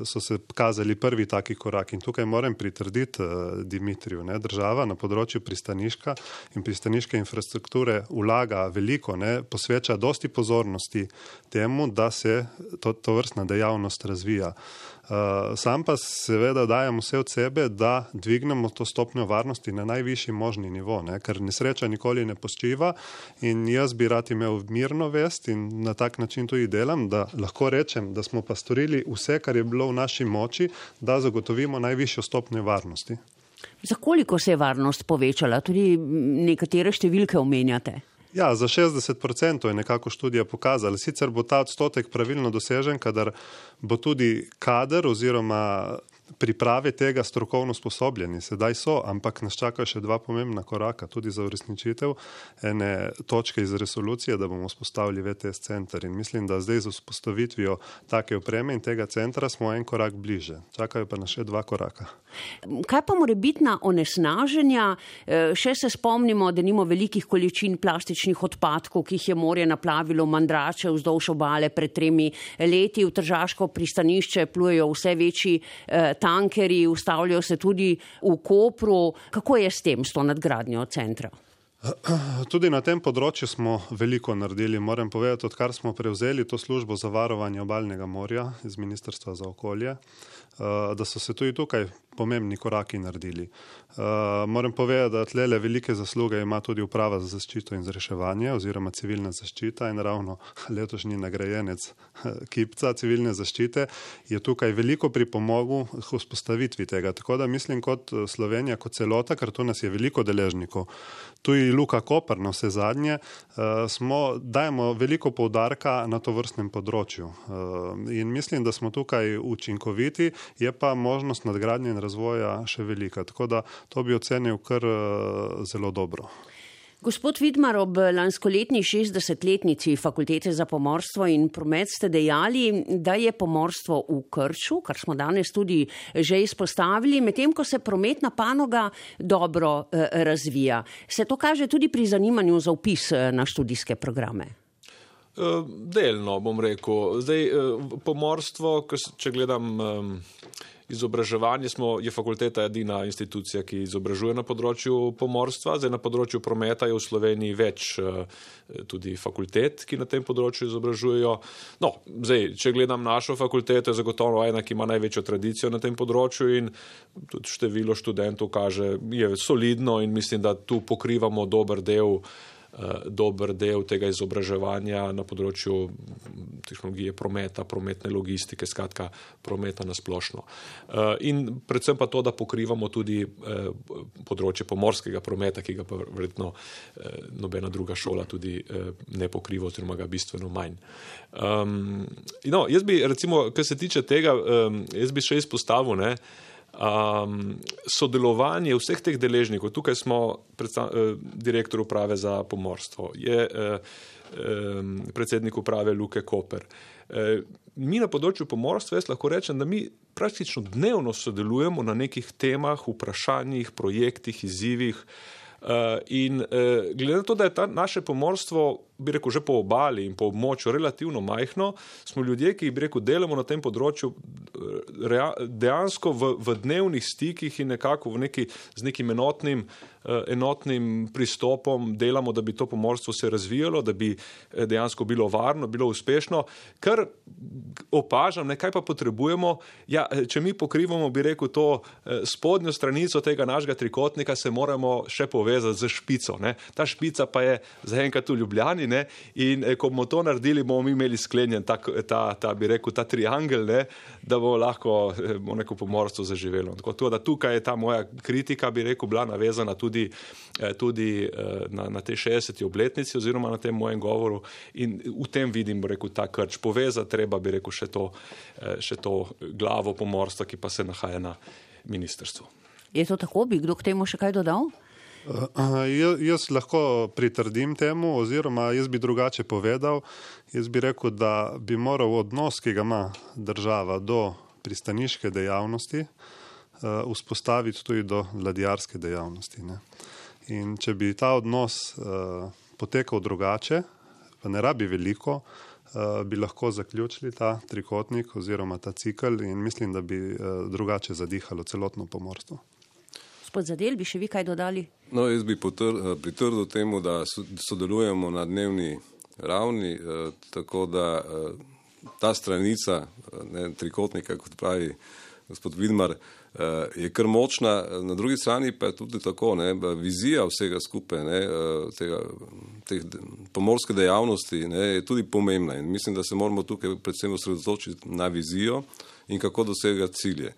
So se kazali prvi taki korak in tukaj moram pritrditi uh, Dimitriju. Ne? Država na področju pristaniška in pristaniške infrastrukture vlaga veliko, ne? Posveča dosti pozornosti temu, da se to, to vrstna dejavnost razvija. Uh, sam pa seveda dajem vse od sebe, da dvignemo to stopnjo varnosti na najvišji možni nivo, ne? Ker nesreča nikoli ne posčiva in jaz bi rad imel mirno vest in na tak način tudi delam, da lahko rečem, da smo pa storili vse, kar je bilo v naši moči, da zagotovimo najvišjo stopnjo varnosti. Za koliko se je varnost povečala? Tudi nekatere številke omenjate. Ja, za šestdeset procentov je nekako študija pokazala. Sicer bo ta odstotek pravilno dosežen, kadar bo tudi kader oziroma priprave tega strokovno sposobljeni, sedaj so, ampak nas čakajo še dva pomembna koraka, tudi za uresničitev ene točke iz resolucije, da bomo vzpostavili V T S center. In mislim, da zdaj z vzpostavitvijo take opreme in tega centra smo en korak bliže. Čakajo pa nas še dva koraka. Kaj pa morebitna onesnaženja? Še se spomnimo, da nimo velikih količin plastičnih odpadkov, ki jih je morje naplavilo v Mandrače vzdolž obale pred tremi leti. V Tržaško pristanišče plujejo vse večji eh, tankerji, ustavljajo se tudi v Kopru. Kako je s tem, s to nadgradnjo centra? Tudi na tem področju smo veliko naredili. Moram povedati, odkar smo prevzeli to službo za varovanje obalnega morja iz Ministrstva za okolje, da so se tudi tukaj pomembni koraki naredili. Moram povedati, da tlele velike zasluge ima tudi Uprava za zaščito in reševanje oziroma civilna zaščita in ravno letošnji nagrajenec Kipca civilne zaščite je tukaj veliko pripomogel k vzpostavitvi tega. Tako da mislim kot Slovenija, kot celota, ker tu nas je veliko deležnikov. Tudi Luka Koper na vse zadnje, smo, dajemo veliko poudarka na to vrstnem področju. In mislim, da smo tukaj učinkoviti, je pa možnost nadgradnje in razvoja še velika. Tako da to bi ocenil kar zelo dobro. Gospod Vidmar, ob lanskoletni šestdesetletnici Fakultete za pomorstvo in promet ste dejali, da je pomorstvo v krču, kar smo danes tudi že izpostavili, medtem ko se prometna panoga dobro eh, razvija. Se to kaže tudi pri zanimanju za vpis na študijske programe? Delno, bom rekel. Zdaj, pomorstvo, če gledam izobraževanje, smo, je fakulteta edina institucija, ki izobražuje na področju pomorstva. Zdaj, na področju prometa je v Sloveniji več tudi fakultet, ki na tem področju izobražujejo. No, zdaj, če gledam našo fakulteto, je zagotovo ena, ki ima največjo tradicijo na tem področju in tudi število študentov kaže, je solidno in mislim, da tu pokrivamo dober del dober del tega izobraževanja na področju tehnologije prometa, prometne logistike, skratka prometa na splošno. In predvsem pa to, da pokrivamo tudi področje pomorskega prometa, ki ga pa verjetno nobena druga šola tudi ne pokriva oziroma ga bistveno manj. No, jaz bi recimo, kar se tiče tega, jaz bi še izpostavil, ne, Um, sodelovanje vseh teh deležnikov, tukaj smo predstav, eh, direktor uprave za pomorstvo, je eh, eh, predsednik uprave Luke Koper. Eh, mi na področju pomorstva, jaz lahko rečem, da mi praktično dnevno sodelujemo na nekih temah, vprašanjih, projektih, izzivih eh, in eh, glede na to, da je ta naše pomorstvo, bi rekel, že po obali in po območju relativno majhno, smo ljudje, ki bi rekel, delamo na tem področju dejansko v, v dnevnih stikih in nekako v neki, z nekim enotnim, enotnim pristopom delamo, da bi to pomorstvo se razvijalo, da bi dejansko bilo varno, bilo uspešno. Kar opažam, nekaj pa potrebujemo, ja, če mi pokrivamo, bi rekel, to spodnjo stranico tega našega trikotnika, se moramo še povezati z špico. Ne? Ta špica pa je zaenkrat v Ljubljani, ne? In ko bomo to naredili, bomo mi imeli sklenjen ta, ta, ta bi rekel, ta triangel, ne? Da bo lahko bo neko pomorstvo zaživelo. Tako da tukaj je ta moja kritika, bi rekel, bila navezana tudi, tudi na, na te šestdeseti obletnici oziroma na tem mojem govoru in v tem vidim, bi rekel, ta krč. Povezati treba, bi rekel, še to, še to glavo pomorstva, ki pa se nahaja na ministrstvu. Je to tako? Bi kdo k temu še kaj dodal? Uh, jaz, jaz lahko pritrdim temu oziroma jaz bi drugače povedal. Jaz bi rekel, da bi moral odnos, ki ga ima država do pristaniške dejavnosti, uh, vzpostaviti tudi do ladjarske dejavnosti. Ne? In če bi ta odnos uh, potekal drugače, pa ne rabi veliko, uh, bi lahko zaključili ta trikotnik oziroma ta cikl in mislim, da bi uh, drugače zadihalo celotno pomorstvo. Gospod Zadel, bi še vi kaj dodali? No, jaz bi potr- pritrdil temu, da sodelujemo na dnevni ravni, eh, tako da eh, ta stranica ne, trikotnika, kot pravi gospod Vidmar, eh, je kar močna. Na drugi strani pa je tudi tako, ne, vizija vsega skupaj, ne, tega, teh pomorske dejavnosti, ne, je tudi pomembna in mislim, da se moramo tukaj predvsem osredotočiti na vizijo in kako dosegati cilje.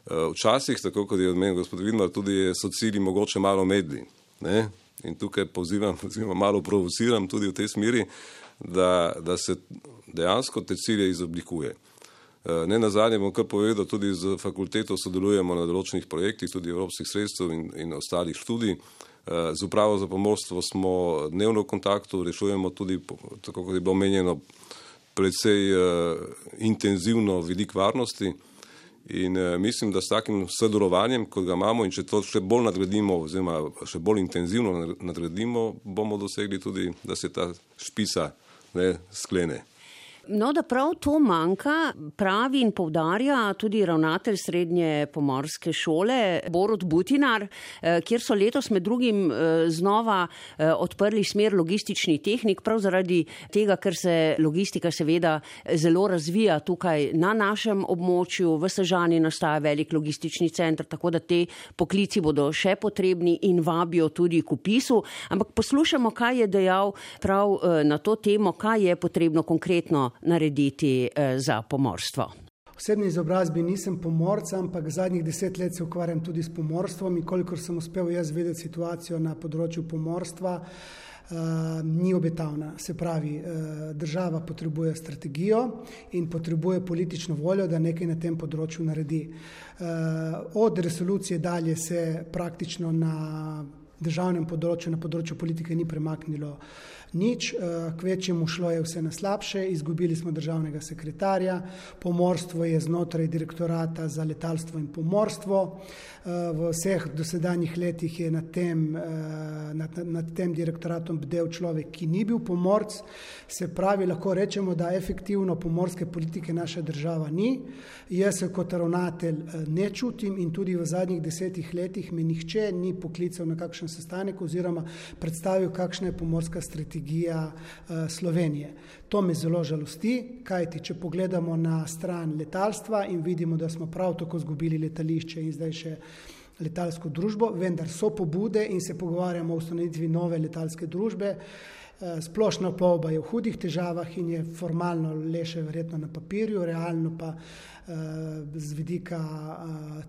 Včasih, tako kot je odmenil gospod Vidmar, tudi so cilji mogoče malo medli. Ne? In tukaj pozivam, oziroma malo provociram tudi v tej smeri, da, da se dejansko te cilje izoblikuje. Ne nazadnje bom kar povedal, tudi z fakulteto sodelujemo na določenih projektih, tudi evropskih sredstev in, in ostalih študij. Z upravo za pomorstvo smo dnevno v kontaktu, rešujemo tudi, tako kot je bilo omenjeno, predvsej uh, intenzivno vidik varnosti in uh, mislim, da s takim sodelovanjem, kot ga imamo in če to še bolj nadgradimo oziroma še bolj intenzivno nadgradimo, bomo dosegli tudi, da se ta špisa ne sklene. No, da prav to manjka, pravi in poudarja tudi ravnatelj srednje pomorske šole Borut Butinar, kjer so letos med drugim znova odprli smer logistični tehnik, prav zaradi tega, ker se logistika seveda zelo razvija tukaj na našem območju, v Sežani nastaja velik logistični center, tako da te poklici bodo še potrebni in vabijo tudi k vpisu. Ampak poslušamo, kaj je dejal prav na to temo, kaj je potrebno konkretno narediti za pomorstvo. V osebni izobrazbi nisem pomorca, ampak zadnjih deset let se ukvarjam tudi s pomorstvom in kolikor sem uspel jaz vedeti situacijo na področju pomorstva, uh, ni obetavna. Se pravi, uh, država potrebuje strategijo in potrebuje politično voljo, da nekaj na tem področju naredi. Uh, od resolucije dalje se praktično na državnem področju, na področju politike ni premaknilo nič, kvečjemu šlo je vse na slabše, izgubili smo državnega sekretarja, pomorstvo je znotraj direktorata za letalstvo in pomorstvo, v vseh dosedanjih letih je nad tem, nad, nad tem direktoratom bdel človek, ki ni bil pomorc, se pravi, lahko rečemo, da efektivno pomorske politike naša država ni. Jaz se kot ravnatelj ne čutim in tudi v zadnjih desetih letih me nihče ni poklical na kakšen sestanek oziroma predstavil, kakšna je pomorska strategija Slovenije. To me zelo žalosti, kajti če pogledamo na stran letalstva in vidimo, da smo prav tako izgubili letališče in zdaj še letalsko družbo, vendar so pobude in se pogovarjamo o ustanovitvi nove letalske družbe. Splošna plovba je v hudih težavah in je formalno le še verjetno na papirju, realno pa z vidika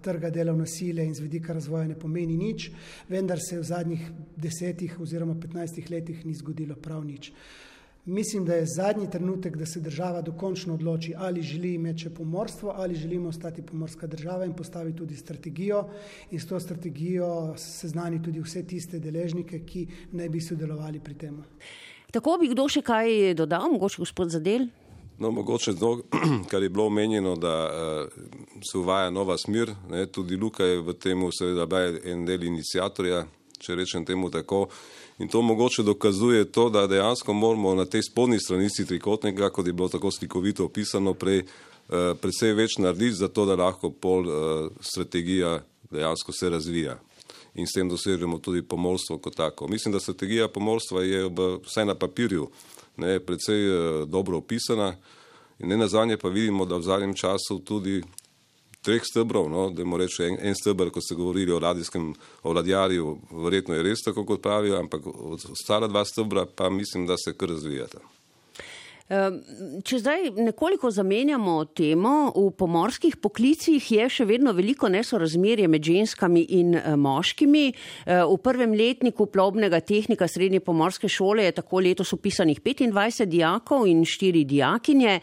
trga delovne sile in z vidika razvoja ne pomeni nič, vendar se v zadnjih desetih oziroma petnajstih letih ni zgodilo prav nič. Mislim, da je zadnji trenutek, da se država dokončno odloči, ali želi imeti še pomorstvo, ali želimo ostati pomorska država in postavi tudi strategijo in s to strategijo seznani tudi vse tiste deležnike, ki naj bi sodelovali pri tem. Tako bi kdo še kaj dodal, mogoče gospod Zadel? No, mogoče to, kar je bilo omenjeno, da uh, se uvaja nova smer, ne, tudi Luka je v temu seveda bil en del iniciatorja, če rečem temu tako. In to mogoče dokazuje to, da dejansko moramo na tej spodnji stranici trikotnika, kot je bilo tako slikovito opisano prej, eh, predvsej več narediti za to, da lahko pol eh, strategija dejansko se razvija. In s tem dosežemo tudi pomorstvo kot tako. Mislim, da strategija pomorstva je v, vsaj na papirju ne, predvsej eh, dobro opisana in ne nazadnje pa vidimo, da v zadnjem času tudi treh stebrov, no, da moramo reči en, en stebr, ko ste govorili o ladijskem, o ladjarju, verjetno je res tako, kot pravijo, ampak ostala dva stebra pa mislim, da se kar razvijata. Če zdaj nekoliko zamenjamo temo, v pomorskih poklicih je še vedno veliko nesorazmerje med ženskami in moškimi. V prvem letniku plovbnega tehnika srednje pomorske šole je tako letos upisanih petindvajset dijakov in štiri dijakinje.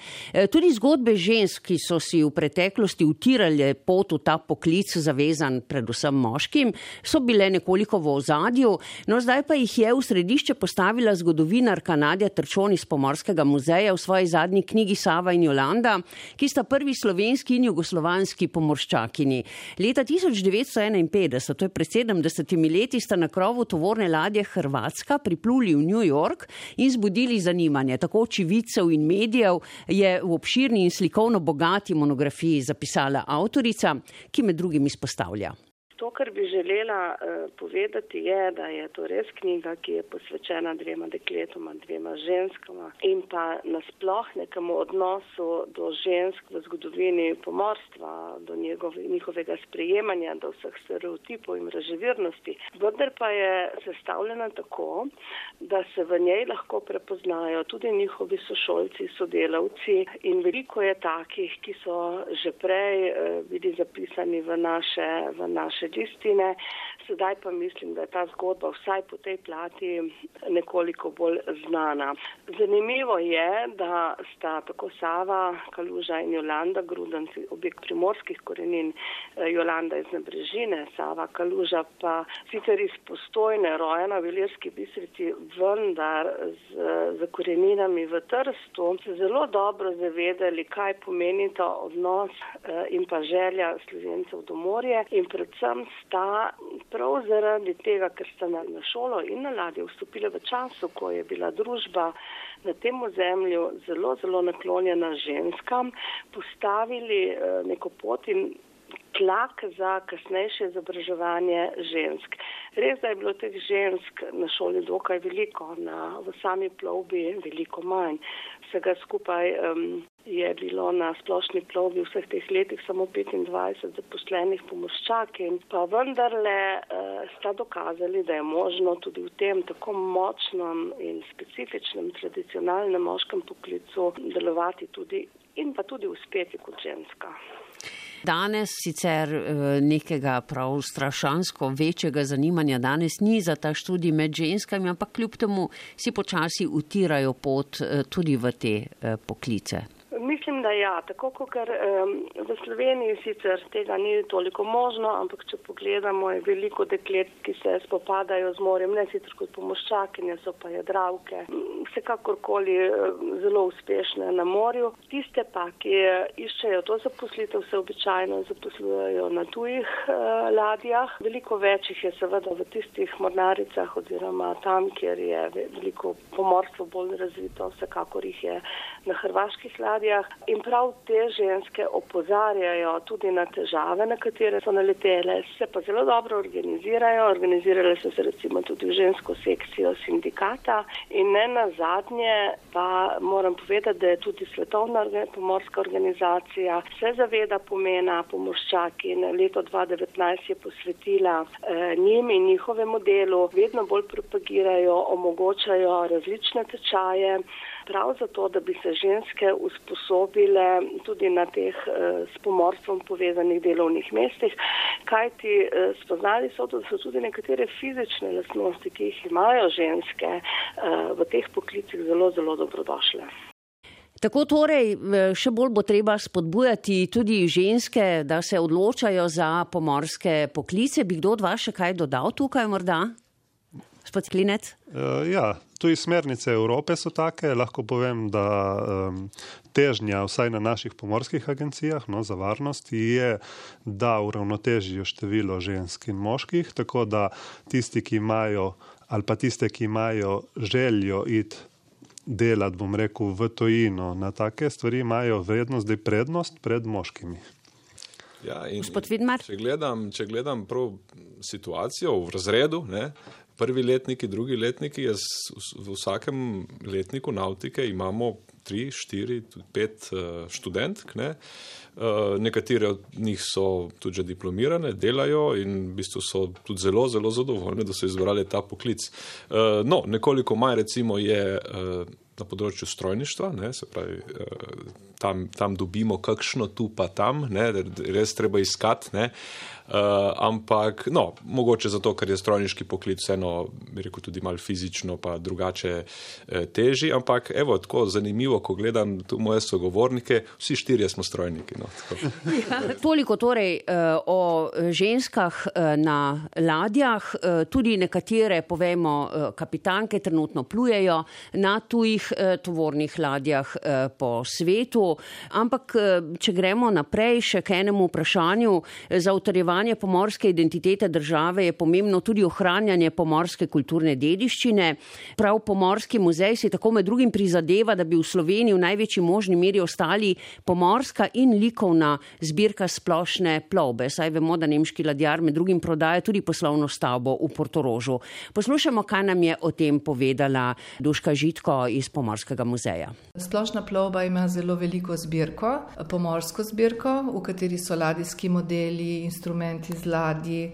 Tudi zgodbe žensk, ki so si v preteklosti utirale pot v ta poklic zavezan predvsem moškim, so bile nekoliko v ozadju, no zdaj pa jih je v središče postavila zgodovinarka Nadja Trčon iz Pomorskega muzeja v svoji zadnji knjigi Sava in Jolanda, ki sta prvi slovenski in jugoslovanski pomorščakini. Leta tisoč devetsto enainpetdeset, to je pred sedemdesetimi leti, sta na krovu tovorne ladje Hrvatska pripluli v New York in zbudili zanimanje. Tako očividcev in medijev je v obširni in slikovno bogati monografiji zapisala avtorica, ki med drugim izpostavlja. To, kar bi želela uh, povedati, je, da je to res knjiga, ki je posvečena dvema dekletoma, dvema ženskama in pa nasploh nekemu odnosu do žensk v zgodovini pomorstva, do njegov, njihovega sprejemanja, do vseh stereotipov in mraževirnosti. Vendar pa je sestavljena tako, da se v njej lahko prepoznajo tudi njihovi sošolci, sodelavci in veliko je takih, ki so že prej uh, bili zapisani v naše, v naše naše listine. Sedaj pa mislim, da je ta zgodba vsaj po tej plati nekoliko bolj znana. Zanimivo je, da sta tako Sava Kaluža in Jolanda Grudenc, objekt primorskih korenin, Jolanda iz Nabrežine, Sava Kaluža pa sicer iz Postojne, rojena v Ilirski Bistrici, vendar z, z koreninami v Trstu, se zelo dobro zavedali, kaj pomeni ta odnos in pa želja Slovencev do morja in predvsem sta prav zaradi tega, ker sta na, na šolo in na ladjo vstopile v času, ko je bila družba na tem ozemlju zelo, zelo naklonjena ženskam, postavili eh, neko pot in tlak za kasnejše izobraževanje žensk. Res, da je bilo teh žensk na šoli dokaj veliko, na, v sami plovbi veliko manj. Vsega skupaj um, je bilo na splošni plovbi vseh teh letih samo petindvajset zaposlenih pomorščakin, pa vendarle uh, sta dokazali, da je možno tudi v tem tako močnem in specifičnem tradicionalnem moškem poklicu delovati tudi in pa tudi uspeti kot ženska. Danes sicer nekega prav strašansko večjega zanimanja danes ni za ta študij med ženskami, ampak kljub temu si počasi utirajo pot tudi v te poklice. Mislim, da ja, tako kot um, v Sloveniji sicer tega ni toliko možno, ampak če pogledamo, je veliko deklet, ki se spopadajo z morjem, ne sicer kot pomorščakinje, so pa jadravke, vsekakorkoli zelo uspešne na morju. Tiste pa, ki iščejo to zaposlitev, se običajno zaposlujejo na tujih uh, ladjah. Veliko večjih je seveda v tistih mornaricah oziroma tam, kjer je veliko pomorstvo bolj razvito, vsekakor jih je na hrvaških ladjah. In prav te ženske opozarjajo tudi na težave, na katere so naletele, se pa zelo dobro organizirajo, organizirale so se recimo tudi v žensko sekcijo sindikata in ne nazadnje pa moram povedati, da je tudi Svetovna pomorska organizacija se zaveda pomena pomorščakin. Leto dva tisoč devetnajst je posvetila eh, njim in njihovemu delu, vedno bolj propagirajo, omogočajo različne tečaje, prav zato, da bi se ženske usposobile tudi na teh eh, s pomorstvom povezanih delovnih mestih, kajti eh, spoznali so, da so tudi nekatere fizične lastnosti, ki jih imajo ženske eh, v teh poklicih zelo, zelo dobrodošle. Tako torej, še bolj bo treba spodbujati tudi ženske, da se odločajo za pomorske poklice. Bi kdo od vas še kaj dodal tukaj morda? Gospod Klinec? Uh, ja, tudi smernice Evrope so take. Lahko povem, da um, težnja vsaj na naših pomorskih agencijah no, za varnost je, da uravnotežijo število žensk in moških, tako da tisti, ki imajo ali pa tiste, ki imajo željo iti delati, bom rekel, v tujino na take stvari, imajo vrednost, da je prednost pred moškimi. Ja, in Gospod Vidmar? Če gledam, če gledam prav situacijo v razredu, ne, prvi letniki, drugi letniki, jaz v vsakem letniku nautike imamo tri, štiri, pet študentk, ne. Nekatere od njih so tudi že diplomirane, delajo in v bistvu so tudi zelo, zelo zadovoljne, da so izbrali ta poklic. No, nekoliko manj recimo je na področju strojništva, ne, se pravi, tam, tam dobimo kakšno tu pa tam, ne, res treba iskati, ne. Uh, ampak, no, mogoče zato, ker je strojniški poklic vseeno, bi rekel, tudi malo fizično pa drugače eh, teži, ampak evo, tako zanimivo, ko gledam tu moje sogovornike, vsi štirje smo strojniki. No, ja, toliko torej uh, o ženskah uh, na ladjah, uh, tudi nekatere, povemo, uh, kapitanke trenutno plujejo na tujih uh, tovornih ladjah uh, po svetu, ampak uh, če gremo naprej še k enemu vprašanju, za utrjevanje pomorske identitete države je pomembno tudi ohranjanje pomorske kulturne dediščine. Prav Pomorski muzej si tako med drugim prizadeva, da bi v Sloveniji v največji možni meri ostali pomorska in likovna zbirka splošne plovbe. Saj vemo, da nemški ladjar med drugim prodaja tudi poslovno stavbo v Portorožu. Poslušamo, kaj nam je o tem povedala Duška Žitko iz Pomorskega muzeja. Splošna plovba ima zelo veliko zbirko, pomorsko zbirko, v kateri so ladijski modeli, instrumenti iz ladji,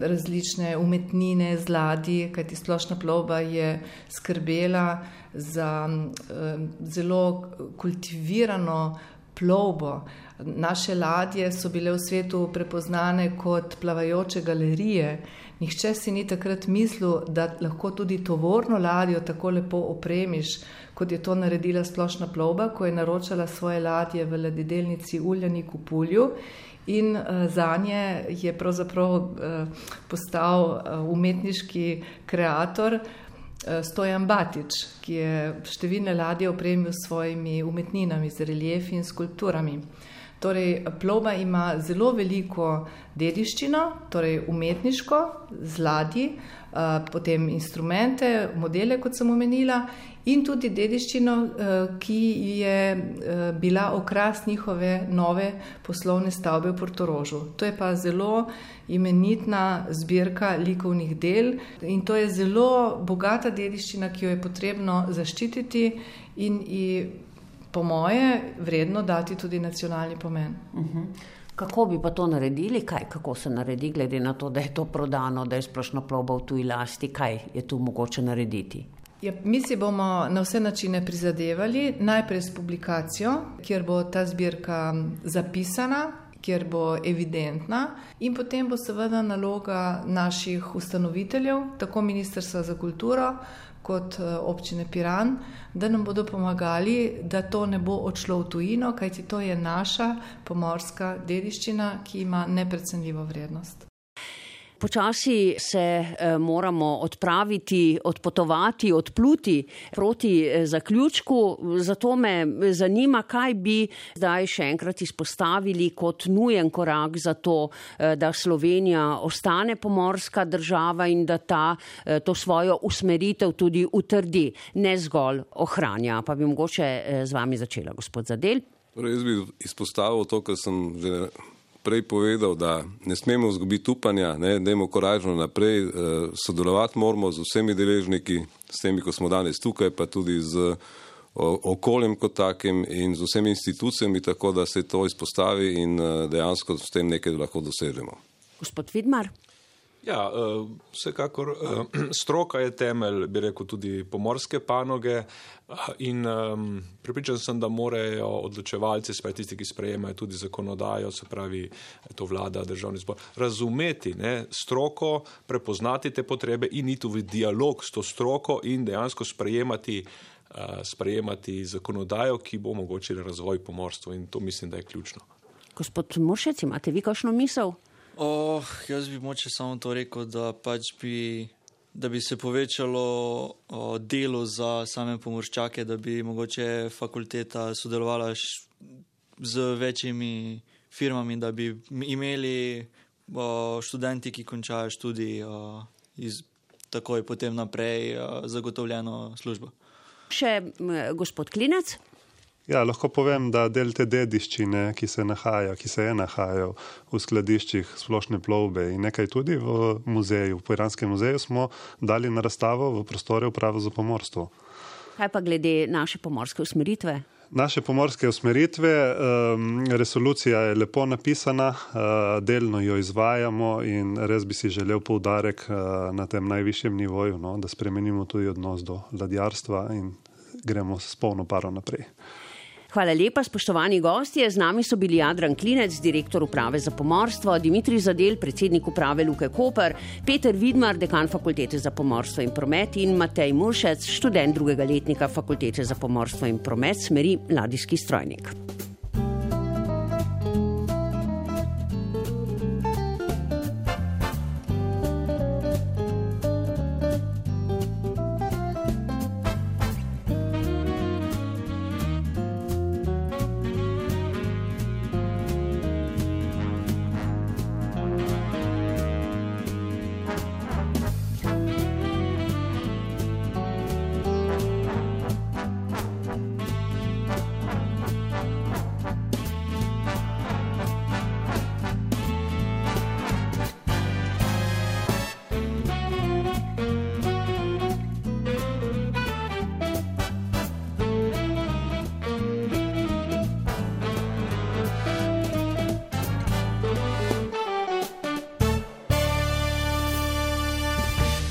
različne umetnine z ladji, kajti splošna plovba je skrbela za zelo kultivirano plovbo. Naše ladje so bile v svetu prepoznane kot plavajoče galerije. Nihče si ni takrat mislil, da lahko tudi tovorno ladjo tako lepo opremiš, kot je to naredila Splošna plovba, ko je naročala svoje ladje v ladjedelnici Uljanik v Pulju. In uh, zanje je pravzaprav uh, postal uh, umetniški kreator uh, Stojan Batič, ki je številne ladje opremil s svojimi umetninami, z reliefi in skulpturami. Torej, plovba ima zelo veliko dediščino, torej umetniško, z ladji, uh, potem instrumente, modele, kot sem omenila, in tudi dediščino, uh, ki je uh, bila okras njihove nove poslovne stavbe v Portorožu. To je pa zelo imenitna zbirka likovnih del in to je zelo bogata dediščina, ki jo je potrebno zaščititi in ji po moje vredno dati tudi nacionalni pomen. Uh-huh. Kako bi pa to naredili? Kaj, kako se naredi, glede na to, da je to prodano, da je Splošna plovba v tuji lasti? Kaj je tu mogoče narediti? Ja, mi si bomo na vse načine prizadevali, najprej s publikacijo, kjer bo ta zbirka zapisana, kjer bo evidentna in potem bo seveda naloga naših ustanoviteljev, tako Ministrstva za kulturo, kot občine Piran, da nam bodo pomagali, da to ne bo odšlo v tujino, kajti to je naša pomorska dediščina, ki ima neprecenljivo vrednost. Počasi se eh, moramo odpraviti, odpotovati, odpluti proti eh, zaključku. Zato me zanima, kaj bi zdaj še enkrat izpostavili kot nujen korak za to, eh, da Slovenija ostane pomorska država in da ta eh, to svojo usmeritev tudi utrdi, ne zgolj ohranja. Pa bi mogoče eh, z vami začela, gospod Zadel. Torej, jaz bi izpostavil to, kar sem že prej povedal, da ne smemo izgubiti upanja, ne, dajmo koražno naprej, eh, sodelovati moramo z vsemi deležniki, s temi, ko smo danes tukaj, pa tudi z o, okoljem kot takim in z vsemi institucijami, tako da se to izpostavi in eh, dejansko s tem nekaj lahko dosežemo. Gospod Vidmar. Ja, vsekakor stroka je temelj, bi rekel, tudi pomorske panoge in prepričan sem, da morajo odločevalci, se pravi tisti, ki sprejemajo tudi zakonodajo, se pravi to vlada, državni zbor, razumeti ne, stroko, prepoznati te potrebe in iti v dialog s to stroko in dejansko sprejemati, sprejemati zakonodajo, ki bo omogočila razvoj pomorstva in to mislim, da je ključno. Gospod Muršec, imate vi kakšno misel? Oh, jaz bi moče samo to rekel, da pač bi, da bi se povečalo o, delo za same pomorščake, da bi mogoče fakulteta sodelovala š, z večjimi firmami, da bi imeli o, študenti, ki končajo študij, o, iz, takoj potem naprej o, zagotovljeno službo. Še gospod Klinec? Ja, lahko povem, da del te dediščine, ki se nahaja, ki se je nahajal v skladiščih Splošne plovbe in nekaj tudi v muzeju, v Piranskem muzeju, smo dali na razstavo v prostore Uprave za pomorstvo. Kaj pa glede naše pomorske usmeritve? Naše pomorske usmeritve, resolucija je lepo napisana, delno jo izvajamo in res bi si želel poudarek na tem najvišjem nivoju, no, da spremenimo tudi odnos do ladjarstva in gremo s polno paro naprej. Hvala lepa, spoštovani gostje. Z nami so bili Jadran Klinec, direktor Uprave za pomorstvo, Dimitrij Zadel, predsednik Uprave Luke Koper, Peter Vidmar, dekan Fakultete za pomorstvo in promet in Matej Muršec, študent drugega letnika Fakultete za pomorstvo in promet, smeri ladijski strojnik.